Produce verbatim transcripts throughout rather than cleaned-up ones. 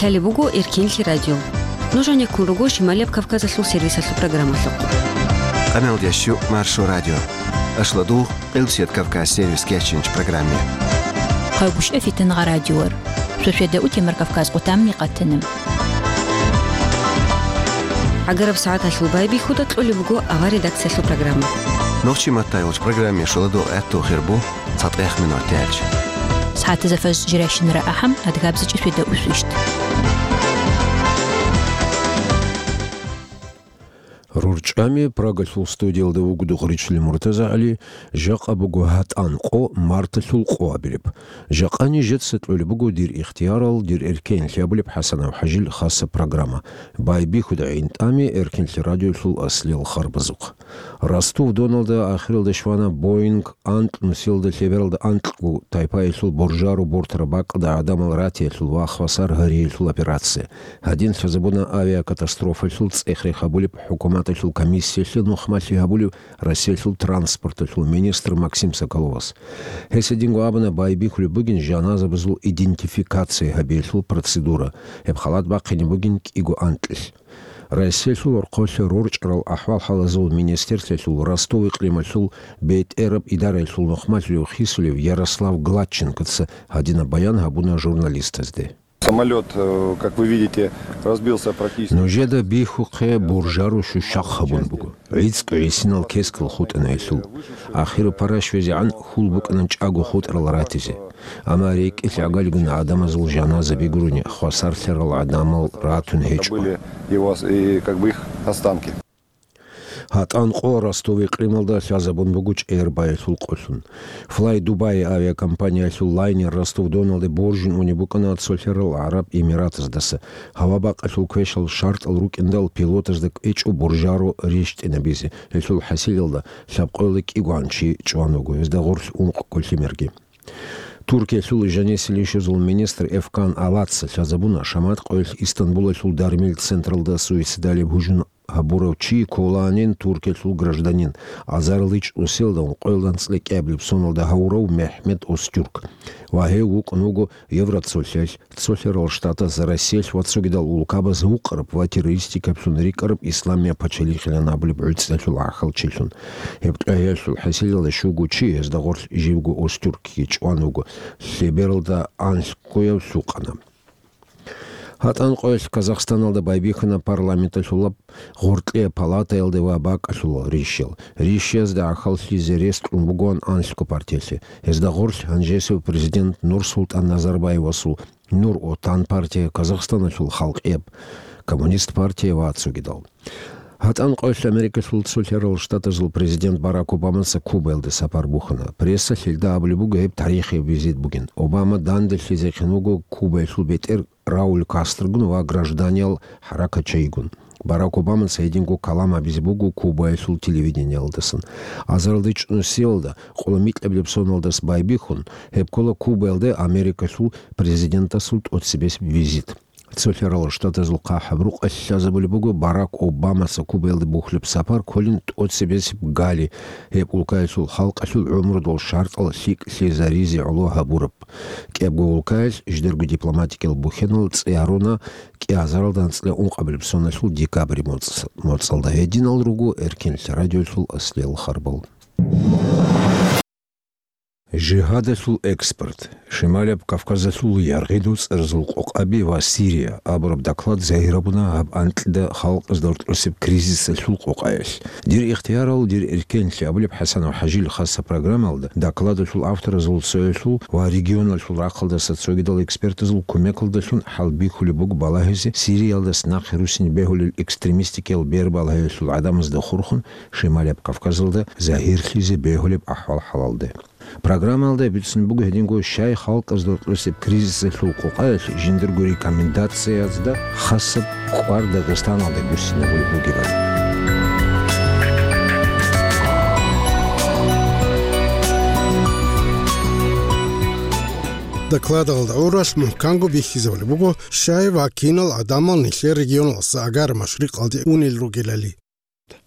Лъалеб буго Эркенлъи радио. Нуж гьанеккун руго Шималияб Кавказалъул сервисалъул программалъухъ. Къаналдящу Маршо радио. Ашладу Къилбсият Кавказ сервис кечинч программе. Хъайбушев Фитангъа радиор. Шошеда утемар Кавказ къутамни къатана. Агараб сагӀаталъул байбихьуда кьолеб буго авар редакциялъул программа. Нохчи маттайолч программе шоладо гӀатту хирбу цатӀех минут тяч. СагӀатазафаз жиращинара ахӀам адгабзичӀи шведа усвищт. РурчӀами Прагалъул студиялда вугода Гъричли МуртазагӀали, жакъа буго гьатӀан къо марталъул къо абилеб. Жакъа нижеца кьолеб буго дир ихтиярал, дир эркенлъи абулеб ХӀасанов ХӀажил хаса программа. Байбихьуда гӀинтӀами Эркенлъи радиолъул аслиял харбазухъ. Ростов-Доналда ахиралда щвана Боинг анкь нусиялда лъебералда анкьго тайпаялъул буржаро бортараб бакӀалда гӀадамал ратиялъул ва хвасар гьариялъул операция. Гьадин лъазабуна авиакатастрофалъул цӀех-рех гьабулеб хӀукуматалъул комиссиялъе нухмалъи гьабулев Россиялъул транспорталъул министр Максим Соколовас. Гьес гьединго абуна, байбихьулеб бугин жаназабазул идентификация гьабиялъул процедура, гьеб халат бахъине бугин кӀиго анкьилъ. Россиялъул орхъолъа рорчӀарал ахӀвал-хӀалазул министерствоялъул Ростов-икълималъул бетӀераб идараялъул нухмалъулев хисулев Ярослав Гладченкоца гьадинаб баян гьабуна журналистазде. Самолёт, э, как вы видите, разбился практически. Нужеда бихьухъе буржаро щущахъ гьабун буго. ГӀицӀго гӀисинал кескал хутӀана гьелъул. Ахиру параш везегӀан хьул букӀана чӀаго хутӀарал ратизе. Амма рекӀелъ гӀагалигун гӀадамазул жаназаби гурони, хвасарлъарал гӀадамал ратун гьечӀо. Были его ос-, и как бы их останки. ГьатӀан къо Ростов-икълималда лъазабун буго чӀегӀер баялъул къолъун. Fly Dubai авиакомпаниялъул лайнер Ростов-Доналде боржун унеб букӀана цолъарал ГӀараб Эмиратаздаса. Гьава бакъалъул квешал шартӀал рукӀиндал пилотазда кӀвечӀо буржаро рещтӀинабизе. Гьелъул хӀасилалда лъабкъоялда кӀигоан чи чӀван вуго, гьезда гъорлъ ункъ кӀолъимерги. Туркиялъул жанисел ишазул министр Эфкан Алаца лъазабуна, шамат къоялъ Истанбулалъул дармил централда суицидалеб гьужум гьабурав чи кколанин Туркиялъул гражданин, азарилда чӀусиялда ункъоялда анцӀила кӀиабилеб соналда гьавурав МехӀмед Остюрк. Ва гьев вукӀун вуго Евроцолъалъ, Цолъарал Штатаз, Россиялъ ва цогидал улкабаз вукъараб ва террористикаблъун рикӀкӀараб Исламияб пачалихъилан абулеб гӀуцӀиялъул гӀахьалчилъун. Гьеб тӀегьиялъул хӀасилалда щуго чи, гьезда гъорлъ живго Остюркги чӀван вуго, лъебералда анлъгояв лъукъана. ГьатӀан къоялъ Казахстаналда байбихьана парламенталъулаб гъоркье палатаялда ва бакӀалъулал рищал. Рищазда гӀахьаллъизе рес кьун бугоан анлъго партиялъе. Гьезда гъорлъ гьанжесев президент Нурсултан Назарбаевасул Нур-Отан партия, Казахстаналъул халкъияб Коммунист партия ва цогидал. ГьатӀан къоялъ Америкалъул Цолъарал Штатазул президент Барак Обамаца Кубаялде сапар бухьана. Прессалъ гьелда абулеб буго гьеб тарихияб визит бугин. Обама данделъизехъин вуго Кубаялъул бетӀер Рауль Кастрогун ва гражданиял хӀаракатчайигун. Барак Обамаца гьединго калам гьабизе буго Кубаялъул телевидениялдасан. Азарилда чӀусиялда къоло микьабилеб соналдаса байбихьун, гьеб ккола Кубаялде Америкалъул президентасул тӀоцебесеб визит. Цолъарал Штатазул хъахӀаб рукъалъ лъазабулеб буго Барак Обамаца Кубаялде бухьулеб сапар кколин тӀоцебесеб гали, гьеб улкаялъул халкъалъул гӀумрудул шартӀал лъикӀлъизаризе гӀоло гьабураб. КӀиябго улкаялъ жидерго дипломатикиял бухьанал цӀе гьаруна кӀиазаралда анцӀила ункъабилеб соналъул декабрь моцӀ-, моцӀалда. Гьединал руго Эркенлъи радиолъул аслиял харбал. Жигьадалъул экспорт, Шималияб Кавказалъул яргъи доцӀразул къокъаби ва Сирия абураб доклад загьир гьабуна гьаб анкьида халкъазда рокьосеб кризисалъул къокъаялъ. Дир ихтиярал, дир эркенлъи абулеб ХӀасанов ХӀажил хаса программалда докладалъул авторазул цоялъул ва регионалъул рахъалдаса цогидал экспертазул кумекалдалъун хӀалбихьулеб буго балагьизе Сириялдаса нахъе руссин бегьулел экстремистикиял бербалагьиялъул гӀадамазда хурхун Шималияб Кавказалда загьирлъизе бегьулеб ахӀвал-хӀалалде. Программалда бицун буго гьединго щай халкъазда рокьосеб кризисалъул къокъаялъ жиндирго рекомендациязда хасаб кӀвар Дагъистаналда буссинабулеб бугебали. Докладалда гӀуралъ мухӀканго бихьизабулеб буго, щай ва кинал гӀадамал нилъер регионалдаса агар машрикъалде унел ругелали.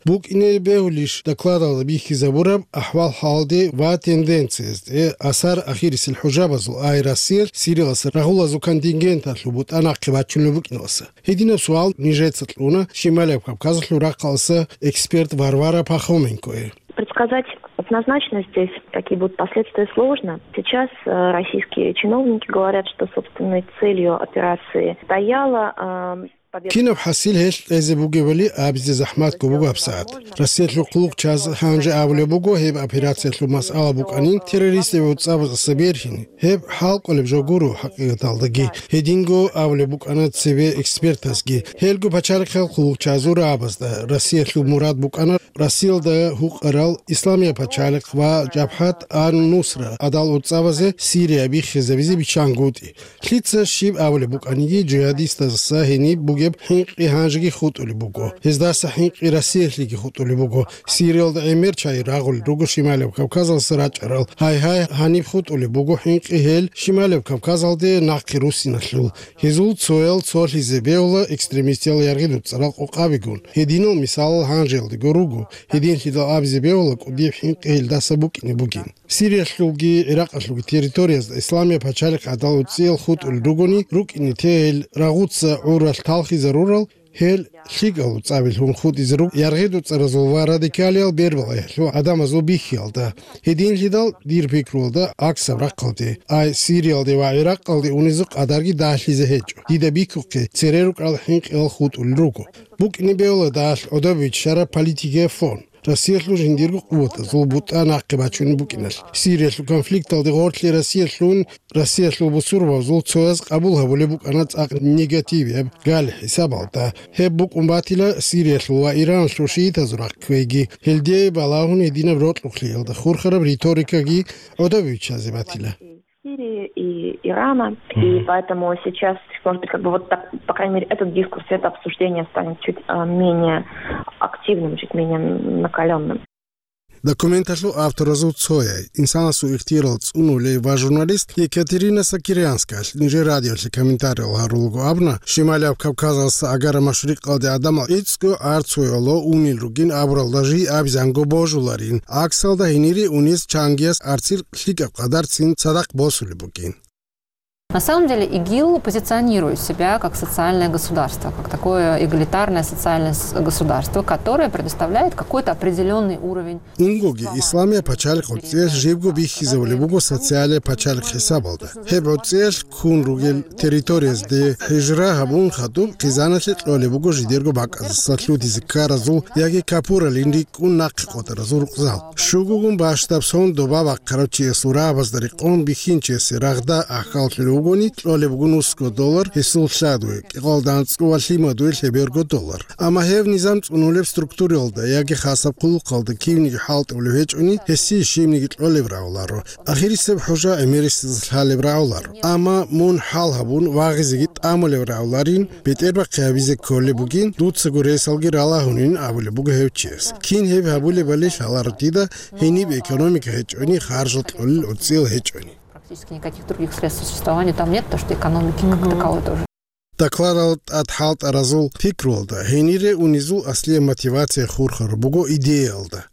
БукӀине бегьулищ докладалда бихьизабураб ахӀвал-хӀалде ва тенденциязде, асар ахирисел хӀужабазул, ай Россиялъ Сириялдаса рагъулазул контингенталъул бутӀа нахъе бачунеб букӀиналдаса? Гьединаб суал нижеца кьуна Шималияб Кавказалъул рахъалдаса эксперт Варвара Пахоменкое. Предсказать однозначно здесь, какие будут последствия, сложно. Сейчас э, российские чиновники говорят, что собственной целью операции стояла э, победа. Кинаб хӀасил гьелъ кьезе бугебали абизе захӀматго буго гьабсагӀат. Россиялъул хъулухъчияз гьанже абулеб буго гьеб операциялъул масъала букӀанин террористазул гӀуцӀабаздаса бергьин. Гьеб хӀалкӀолеб жо гуро хӀакъикъаталдаги. Гьединго абулеб букӀана цебе экспертазги. Гьелго пачалихъал хъулухъчиязул рагӀабазда Россиялъул мурад букӀана Россиялда гьукъарал Исламияб пачалихъ ва Жабхат ан-Нусра гӀадал гӀуцӀабазе Сирия биххизабизе биччангутӀи. Лъица щиб абулеб букӀаниги, жигьадистаздаса гьениб бугеб хӀинкъи гьанжеги хутӀулеб буго. Гьездаса хӀинкъи Россиялъеги хутӀулеб буго. Сириялда гӀемер чагӀи рагъулел руго Шималияб Кавказалдаса рачӀарал. Гьайгьай, гьаниб хутӀулеб буго хӀинкъи гьел Шималияб Кавказалде нахъе руссиналъул. Гьезул цоял цолъизе бегьула экстремистиял яргъидул цӀарал къокъабигун. Гьединал мисалал гьанжеялдего руго. Гьединлъидал абизе бегьула кӀудияб хӀинкъи гьелдаса букӀине бугин. Сириялъулги ГӀиракъалъулги территориязда Исламияб пачалихъ гӀадал гӀуцӀиял хутӀулел ругони, рукӀине те гьел рагъуца гӀуралъ талхизарурал, гьел лъикӀал гӀуцӀабилъун хутӀизе руго яргъидул цӀаразул ва радикалиял бербалъиялъул гӀадамазул бихьиялда. Гьединлъидал, дир пикруялда, гӀаксаб рахъалде, ай Сириялде ва ГӀиракъалде унезул къадарги дагьлъизе гьечӀо. Дида бихьухъе, цере рукӀарал хӀинкъиялъ хутӀулел руго. БукӀине бегьула дагьалъ гӀодобе биччараб политикияб фон. Россиялъул жиндирго къуватазул бутӀа нахъе бачунеб букӀиналъ, Сириялъул конфликталде гъорлъе Россиялъул, Россиялъул бусурбабазул цояз къабул гьабулеб букӀана цӀакъ негативияб гал хӀисабалда. Гьеб букӀун батила Сириялъул ва Ираналъул шиитазул рахъ кквейги. Гьелде балагьун гьединаб рокьулъиялда хурхараб риторикаги гӀодобе биччазе батила. Сирии и Ирана. И поэтому сейчас, может быть, как бы вот так, по крайней мере, этот дискурс, это обсуждение станет чуть а, менее активным, чуть менее накаленным. Документалъул авторазул цояй, инсанасул ихтияр цӀунулей ва журналист Екатерина Сокирянскаялъ нижер радиолъе комментариял гьарулаго абуна, Шималияб Кавказалдаса Агара Машрикъалде гӀадамал гӀицӀго арцуяло унел ругин абуралда жий абизанго божуларин. ГӀаксалда гьенире унез чангияс арцил лъикӀаб къадарцин цадахъ босулеб бугин. На самом деле ИГИЛ позиционирует себя как социальное государство, как такое эгалитарное социальное с- государство, которое предоставляет какой-то определенный уровень. Унгоги, Исламияб пачалихъ гӀуцӀиялъ жибго бихьизабулеб буго социалияб пачалихъ хӀисабалда. Гьеб гӀуцӀиялъ ккун ругел территориязде хӀижра гьабун хадуб хъизаналъе кьолеб буго жидерго бакӀаздаса лъутизе ккаразул яги капуралин рикӀкӀун нахъе къотӀаразул рукъзал. Щугогун бащдаб сон доба бахъарав чиясул рагӀабазда рекъон бихьинчиясе рагъда ахьаллъулев вугони, кьолеб буго нусго доллар гьесул лъадуе, кӀикъоялда анцӀго ва лъимадуе лъеберго доллар. Амма гьев низам цӀунулеб структураялда яги хасаб хъулухъалда кивниги хӀалтӀулев гьечӀони, гьесие щибниги кьолеб рагӀуларо. Ахирисеб хӀужа гӀемерисез лъалеб рагӀуларо. Амма мун хӀал гьабун вагъизеги тӀамулеб рагӀуларин, бетӀербахъи гьабизе кколеб бугин, дуцаго ресалги ралагьунин абулеб буго гьев чияс. Кин гьеб гьабулебали лъаларо дида, гьениб экономика гьечӀони, харжал кьолел гӀуцӀиял гьечӀони. Практически никаких других средств существования там нет, потому что экономики как таковой тоже. Докладал тӀад хӀалтӀаразул пикруялда, гьенире унезул аслияб мотивация хурхараб буго идеялда.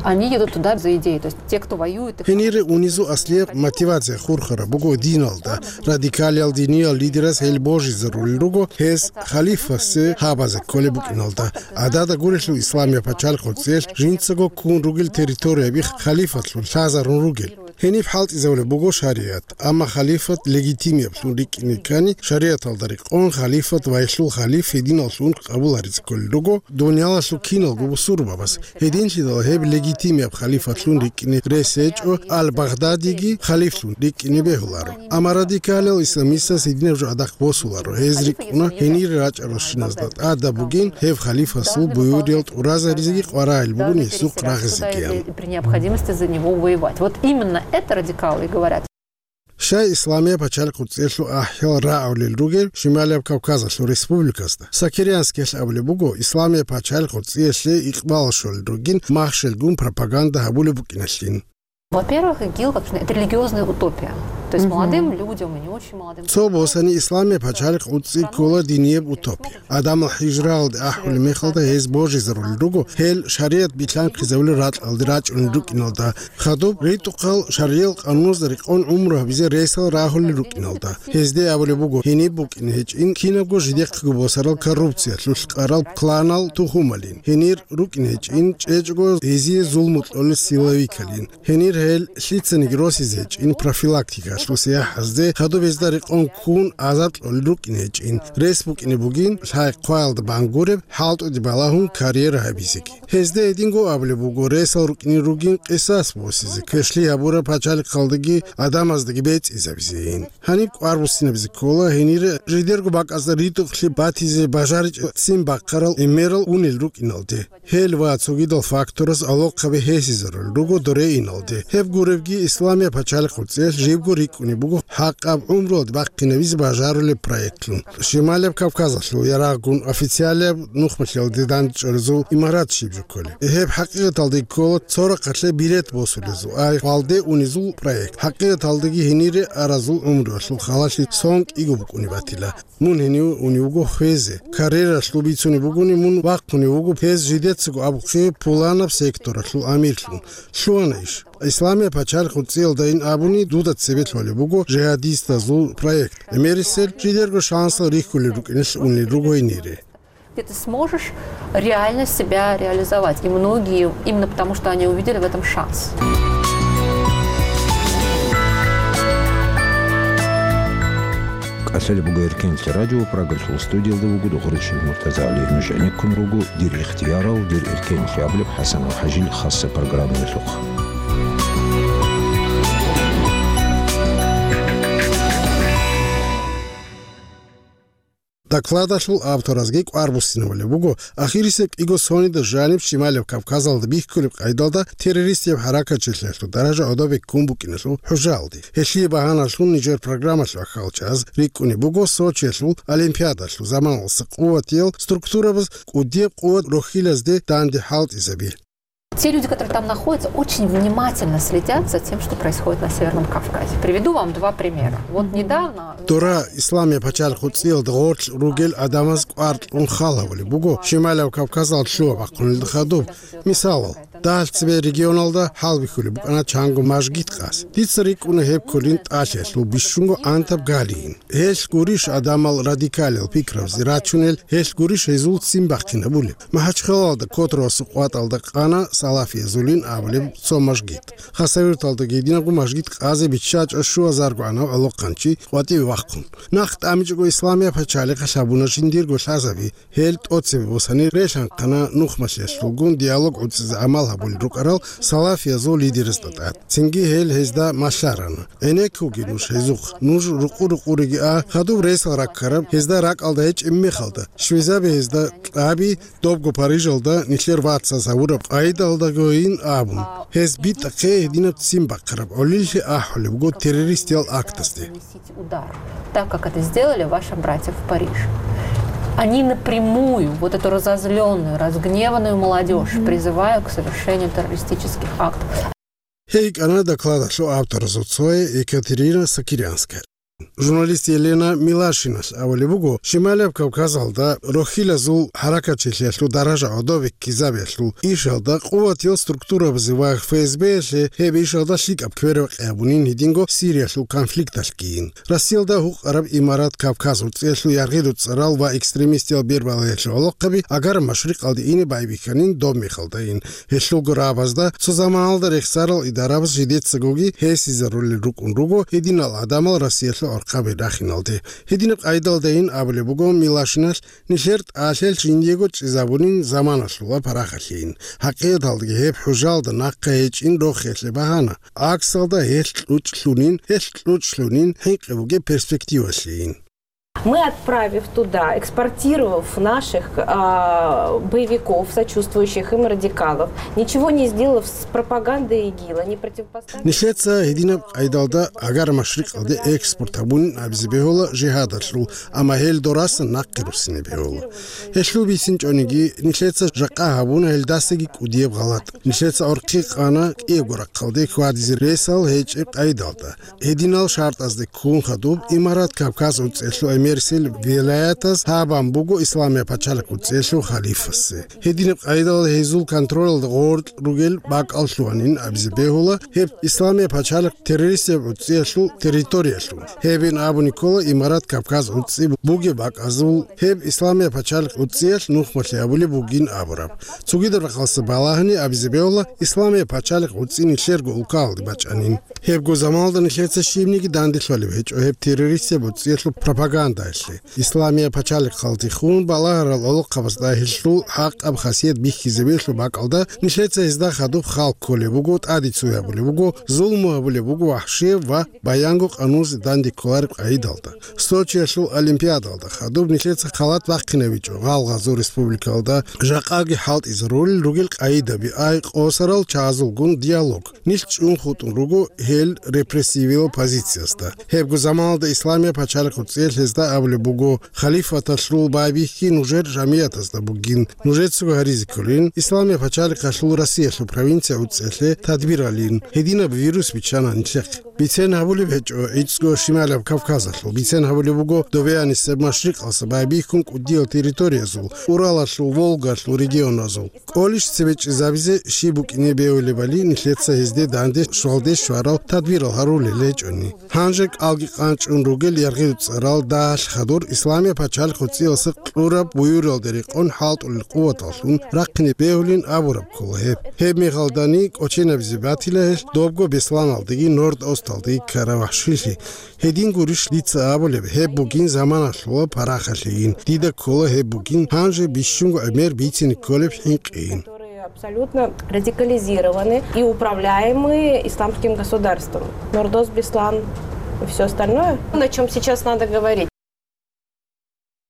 Они едут туда за идеей, то есть те, кто воюет, их Гьенире унезул аслияб мотивация хурхараб буго диналда. Радикалиял диниял лидерас гьел божизарулел руго, гьес халифасе гьабазе кколеб букӀиналда. ГӀадада гурелъул Исламияб пачалихъ гӀуцӀиялъ жинцаго ккун ругел территориябихъ халифатлъун лъазарун ругел. Гьениб хӀалтӀизабулеб буго шаригӀат, амма халифат легитимияблъун рикӀкӀине ккани, шаригӀаталда рекъон халифат ва гьелъул халиф гьединаллъун къабуларизе кколел руго дуниялалъул киналго бусурбабаз. Гьединлъидал гьеб легитимияб халифатлъун рикӀкӀине рес гьечӀо Ал-Багъдадиги халифлъун рикӀкӀине бегьуларо. Амма радикалиял исламистаз гьединаб жо гӀадахъ босуларо. Гьез рикӀкӀуна, гьенире рачӀаралщиназда тӀадаб бугин гьеб халифасул буюриял тӀуразаризеги къваригӀел бугин гьесухъ рагъизегиян. И при необходимости за него воевать. Вот именно это радикалы и говорят. Щай Исламияб пачалихъ гӀуцӀиялъул ахӀиял рагӀулел ругел Шималияб Кавказалъул республиказда? Сокирянскиялъ абулеб буго, Исламияб пачалихъ гӀуцӀиялъе икъбал щолел ругин махщелгун пропаганда гьабулеб букӀиналъин. Во-первых, ИГИЛ, как это религиозная утопия. То есть молодым людям и не очень молодым. Цо босани исламияб пачалихъ гӀуцӀи ккола динияб утопия. Адамал хӀижраялде ахӀулеб мехалда гьез божизарулел руго, гьел шаригӀат билълъанхъизабулел ракьалде рачӀунел рукӀиналда, хадуб ритӀухъал шаргӀиял къануналда рекъон гӀумру гьабизе ресал рагьулел рукӀиналда. Гьезде абулеб буго, гьениб букӀине гьечӀин кинабго жидехъего босарал коррупциялъулъ къарал кланал тухумалин, гьенир рукӀине гьечӀин чӀечӀого гьезие зулму кьолел силовикалин. Гьенир гьел лъицаниги росизе гьечӀин профилактикалъул сияхӀазде, хадуб гьезда рекъон ккун азар кьолел рукӀине гьечӀин, рес букӀине бугин лъай-хъваялда бангуреб, хӀалтӀуде балагьун карьера гьабизеги. Гьезда гьединго абулеб буго, ресал рукӀине ругин къисас босизе, квешлъи гьабураб пачалихъалдаги адамаздаги бецӀизабизейин. Гьаниб кӀвар буссинабизе ккола, гьенир жидерго бакӀазда ритӀухълъи батизе бажаричӀеб ццин бахъарал гӀемерал унел рукӀиналде. Гьел ва цогидал фактораз алохъаби гьесизарулел руго доре иналде. Гьеб гуребги, исламияб пачалихъ гӀуцӀиялъ жибго рикӀкӀунеб буго хӀакъаб гӀумруялде бахъинабизе бажарулеб проектлъун. Шималияб Кавказалъул ярагъгун официалияб нухмалъиялде дандчӀваризул имарат щиб жо кколеб. Гьеб хӀакъикъаталде ккола цо рахъалъе билет босулезул, ай хвалде унезул проект. ХӀакъикъаталдаги гьенире аразул гӀумруялъул халалъи сон кӀиго букӀунеб батила. Мун гьенив унев вуго хвезе. Карьералъул бицунеб бугони, мун вахъунев вуго гьез жидецаго абухъе пуланаб секторалъул амирлъун. Лъугьана иш. Исламияб пачалихъ гӀуцӀиялдайин абуни, дуда цебе лъолеб буго жигьадистазул проект. ГӀемерисел жидерго шансал рихьулел рукӀиналъ унел руго гьенире. Где ты сможешь реально себя реализовать. И многие, именно потому, что они увидели в этом шанс. КӀалъалеб буго Эркенлъи радио, Прагалъул студиялда вуго Духричил МуртазагӀали. Нуж гӀенеккун руго «Дир ихтиярал, дир эркенлъи» абулеб ХӀасанов ХӀажил хасса программаялъухъ. Докладалъул авторазги кӀвар буссинабулеб буго, ахирисеб кӀиго сонида жаниб Шималияб Кавказалда бихьулеб къайдалда террористияб хӀаракатчилъиялъул даража гӀодобе ккун букӀиналъул хӀужаалде. Гьелъие багьаналъун нижер программалъ вахъал чаз рикӀкӀунеб буго Сочиялъул Олимпиадалъул заманалъа къуватиял структурабаз кӀудияб къуват рохьилазде данде хӀалтӀизаби. Те люди, которые там находятся, очень внимательно следят за тем, что происходит на Северном Кавказе. Приведу вам два примера. Вот недавно... Дора Исламияб пачалихъ гӀуцӀиялда гъорлъ ругел адамаз кӀвар кьун хал гьабулеб буго Шималияб Кавказалда лъугьа-бахъунелда хадуб. Мисалал, дагьалъ цебе регионалда хӀалбихьулеб букӀана чанго мажгит къазе. Дица рикӀкӀуна гьеб кколин ТӀалъиялъул бищунго гӀантаб галийин. Гьелъ гурищ адамал радикалил пикрабазе рачунел, гьелъ гурищ гьезул ццин бахъинабулеб. МахӀачхъалалда Котровасул къватӀалда къана салафиязулин абулеб цо мажгит. Хасавюрталдаги гьединабго мажгит къазе биччачӀо щуазарго гӀанав гӀолохъанчи къватӀиве вахъун. Нахъ тӀамичӀого Исламияб пачалихъалъ гьабуна жиндирго лъазаби, гьел тӀоцебе босани релъанхъана нухмалъиялъулгун диалог гӀуцӀизе гӀамал гьабулел рукӀарал салафиязул лидерасда тӀад. Цинги гьел гьезда малъарана: «ГӀенеккуге нуж гьезухъ, нуж рукъу-рукъуреги а, хадуб ресал раккараб гьезда ракӀалда гьечӀеб мехалда, щвезаби гьезда кьаби, добго Парижалда нилъер вацаз гьавураб къайдалдагойин», — абун. Гьез битӀахъе гьединаб ццин бахъараб гӀолилъи ахӀулеб буго террористиял актазде. Наносите удар, так как это сделали вашим братьям в Париже. Они напрямую вот эту разозлённую, разгневанную молодёжь призывают к совершению террористических актов. Гьей кӀана докладалъул авторазул цое Екатерина Сокирянская. Журналист Елена Милашиналъ абулеб буго, Шималияб Кавказалда рохьилазул хӀаракатчилъиялъул даража гӀодобе ккизабиялъул ишалда къуватиял структурабазе ва ФСБ-ялъе гьеб ишалда лъикӀаб квербакъи гьабунин гьединго Сириялъул конфликталъгийин. Россиялда гьукъараб имарат Кавказ гӀурцӀиялъул яргъи-руцӀцӀарал ва экстремистиял бербалаялъул гӀолохъаби Агар-Машрикъалде ине байбихьанин доб мехалдайин. Гьелъулго рагӀабазда цо заманалда рехсарал идарабаз жидецагоги гьесизарулел рукӀун руго гьединал гӀадамал Россиялъул гӀорхъаби рахиналде. Гьединаб къайдалдайин абулеб буго Милашиналъ, нилъер тӀалъел жиндиего чӀезабунин заманалъула парахалъейин. ХӀакъикъаталдаги гьеб хӀужалда нахъа гьечӀин рохиялъе багьана. ГӀаксалда гьелъ кьучӀлъунин, гьелъ кьучӀлъунин хӀинкъи бугеб перспективалъейин. Мы, отправив туда, экспортировав наших а, боевиков, сочувствующих им радикалов, ничего не сделав с пропагандой ИГИЛа, не противопоставив. Нилъеца гьединаб къайдалда Агар машрикъалде экспорт гьабунин абизе бегьула жигьадалъул, амма гьел дорасан нахъе руссине бегьула. Гьелъул бицинчӀониги, нилъеца жакъа гьабуна гьелдасаги кӀудияб гъалатӀ. Нилъеца гӀорхъи къана кӀиябго рахъалде хьвадизе ресал гьечӀеб къайдалда. Гьединал шартӀазде ккун хадуб Имарат Кавказ гӀуцӀелъул эмерсел вилаятаз гьабан буго Исламия пачалихъ гӀуцӀелъул халифасе. Гьединаб къайдал гьезул контролалда гъоркь ругел бакӀал лъугьанин абизе бегьула, гьеб Исламия пачалихъ террористияб гӀуцӀиялъул территориялъун. Гьебин абуни ккола Имарат Кавказ гӀуцӀи бугеб бакӀазул, гьеб Исламия пачалихъ гӀуцӀиялъ нухмалъи гьабулеб бугин абураб. Цогидаб рахъалъа балагьани абизе бегьула Исламия пачалихъ гӀуцӀи нилъерго улкаялде бачӀанин. Гьебго заманалда нилъеца щибниги данделъулеб гьечӀо гьеб террористияб гӀуцӀиялъул пропагандаялъе. Исламия пачалихъалдехун балагьарал гӀолохъабазда гьелъул хӀакъаб хасият бихьизабиялъул бакӀалда нилъеца гьезда хадуб хал кколеб буго, тӀаде цой гьабулеб буго, зулму гьабулеб буго вахӀшияб ва баянго къанунзе данде кколареб къайдалда. Сочиялъул Олимпиадалда хадуб нилъеца халат бахъинабичӀо гъалгъазул республикалда жакъаги хӀалтӀизарулел ругел къайдаби, ай къосарал чагӀазулгун диалог. Нилъ чӀун хутӀун руго гьел репрессивиял позициязда. Гьебго заманалда Исламия пачалихъ гӀуцӀиялъ гьезда абулеб буго: «Халифаталъул байбихьи нужер жамиятазда бугин, нужецаго гьаризе кколин, Исламия пачалихъалъул Россиялъул провинция гӀуцӀиялъе тадбиралин, гьединаб вирус биччана нилъехъе». Бицен гьабулеб гьечӀо гӀицӀго Шималаб Кавказалъул, бицен гьабулеб буго добеянисеб машрикъалъа байбихьун кӀудиял территориязул, Уралалъул, Волгалъул регионазул. КӀолищ цебечӀезабизе щиб букӀине бегьулебали нилъеца гьезде данде щвалде щварал тадбирал гьарулел гьечӀони. Гьанже кӀалги къанчӀун ругел яргъи-дуцӀарал дагьалъ хадур Исламия пачалихъ гӀуцӀиялъа кьураб буюралде рекъон хӀалтӀулел къуваталлъун рахъине бегьулин абураб ккола гьеб. Гьеб мехалдани кӀоченабизе батила гьелъ добго Бесланалдеги Норд-Осталдеги ккараб вахӀшилъи. Гьедин гурищ дица абулеб, гьеб бугин заманалъула парахалъейин. Дида ккола гьеб бугин гьанже бищунго гӀемер бицине кколеб хӀинкъийин. Которые абсолютно радикализированы и управляемы исламским государством. Нордос Беслан и все остальное, о чем сейчас надо говорить.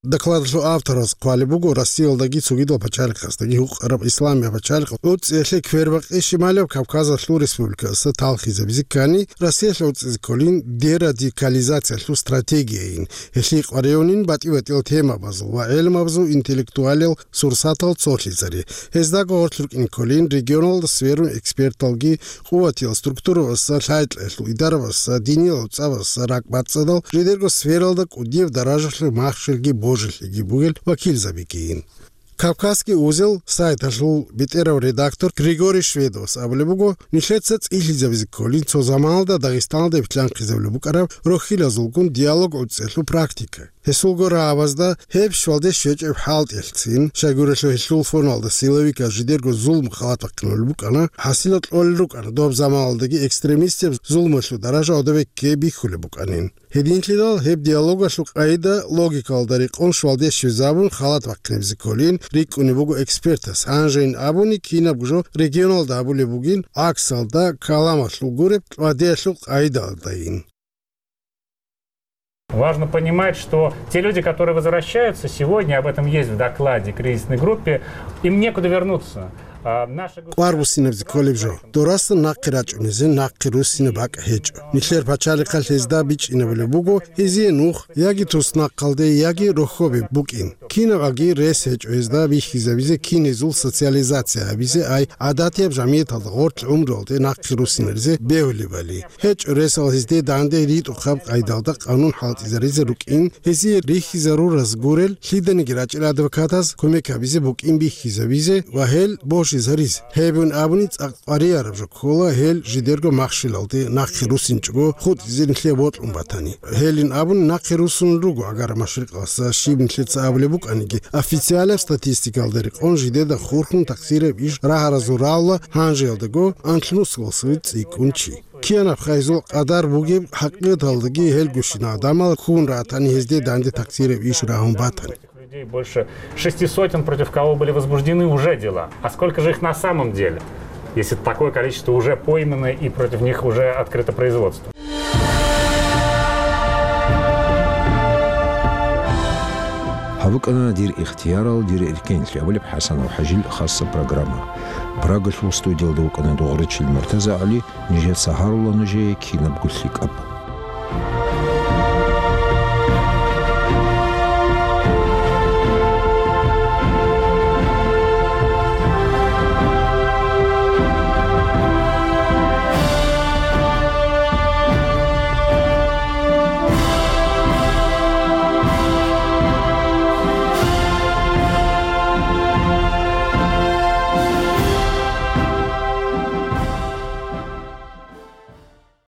Докладалъул автораз хъвалеб буго Россиялдаги цогидал пачалихъаздаги гьукъараб Исламия пачалихъ гӀуцӀиялъе квербакъи Шималаб Кавказалъул республикаялъа талхизабизе ккани, Россиялъ гӀуцӀизе кколин дерадикализациялъул стратегияйин, гьелъие къваригӀунин батӀи-батӀиял темабазул ва гӀелмабазул интеллектуалиял сурсатал цолъизари. Гьездаго гъорлъ рукӀине кколин регионалда сверун эксперталги, къуватиял структурабазда, лъай-кьеялъул идарабазда, диниял гӀуцӀабазда, ракӀбацӀцӀадал жидерго сфералда кӀудияб даражалъул махщелги божилъиги бугел вакилзабигийин. «Кавказский узел» сайталъул бетӀерав редактор Григорий Шведовас абулеб буго, нилъеца цӀилъизабизе кколин цо заманалда Дагъистаналда битлъанхъизабулеб букӀараб рохьилазулгун диалог гӀуцӀиялъул практика. Гьесулго рагӀабазда гьеб щвалде щвечӀеб хӀалтӀиялъцин, щайгурелъул гьелъул фоналда силовиказ жидерго зулму халат бахъинулел букӀана, хӀасилал кьолел рукӀана доб заманалдаги экстремистияб зулмуялъул даража гӀодобе ккей бихьулеб букӀанин. Гьединлъидал гьеб диалогалъул къайда логикалда рекъон щвалде щвезабун халат бахъинабизе кколин рикӀкӀунеб буго экспертас, гьанжейин абуни кинабго жо регионалда гьабулеб бугин, гӀаксалда, каламалъул гуреб, кьвадиялъул къайдалдайин. Важно понимать, что те люди, которые возвращаются сегодня, об этом есть в докладе кризисной группе, им некуда вернуться. А, наши гос- Квар буссинабизе кколеб жо. Дорасан нахъе рачӀунезе нахъе руссинаб бакӀ гьечӀо. Нилъер пачалихъалъ гьезда бичӀчӀинабулеб буго гьезие нух, яги туснахъалде, яги рохьобе букӀин. Кинаб аги рес гьечӀо гьезда бихьизабизе, кин гьезул социализация гьабизе, ай гӀадатияб жамияталда гъорлъ гӀумруялде нахъе руссинаризе бегьулебали. ГьечӀо ресал гьезде данде ритӀухъаб къайдалда къанун хӀалтӀизаризе рукӀин, гьезие рихьизарураз гурел лъиданиги рачӀел адвокатаз кумек гьабизе букӀин бихьизабизе ва гьел божизаризе. Гьебин абуни цӀакъ къварияраб жо ккола гьел жидерго махщелалде нахъе руссинчӀого хутӀизе нилъее бокьун батани. Гьелин абуни нахъе руссун руго Агара Машрикъалъа, щиб нилъеца абулеб букӀаниги, официалаб статистикалда рекъон жидеда хурхун такъсираб иш рагьаразул рагӀула гьанжеялдаго анлънусалъув цӀикӀкӀун чи. Киянаб хайзул къадар бугеб хӀакъикъаталдаги гьелгощин гӀадамал ккун ратани гьезде данде такъсираб иш рагьун батани. Людей больше шести сотен, против кого были возбуждены уже дела. А сколько же их на самом деле, если такое количество уже пойманы и против них уже открыто производство? БукӀана «Дир ихтиярал, дир эркенлъи» абулеб ХӀасанов ХӀажил хасаб программа. Прагалъул студиялда вукӀана Дугъричил МуртазагӀали, нижеца гьарула нужее кинабго лъикӀаб.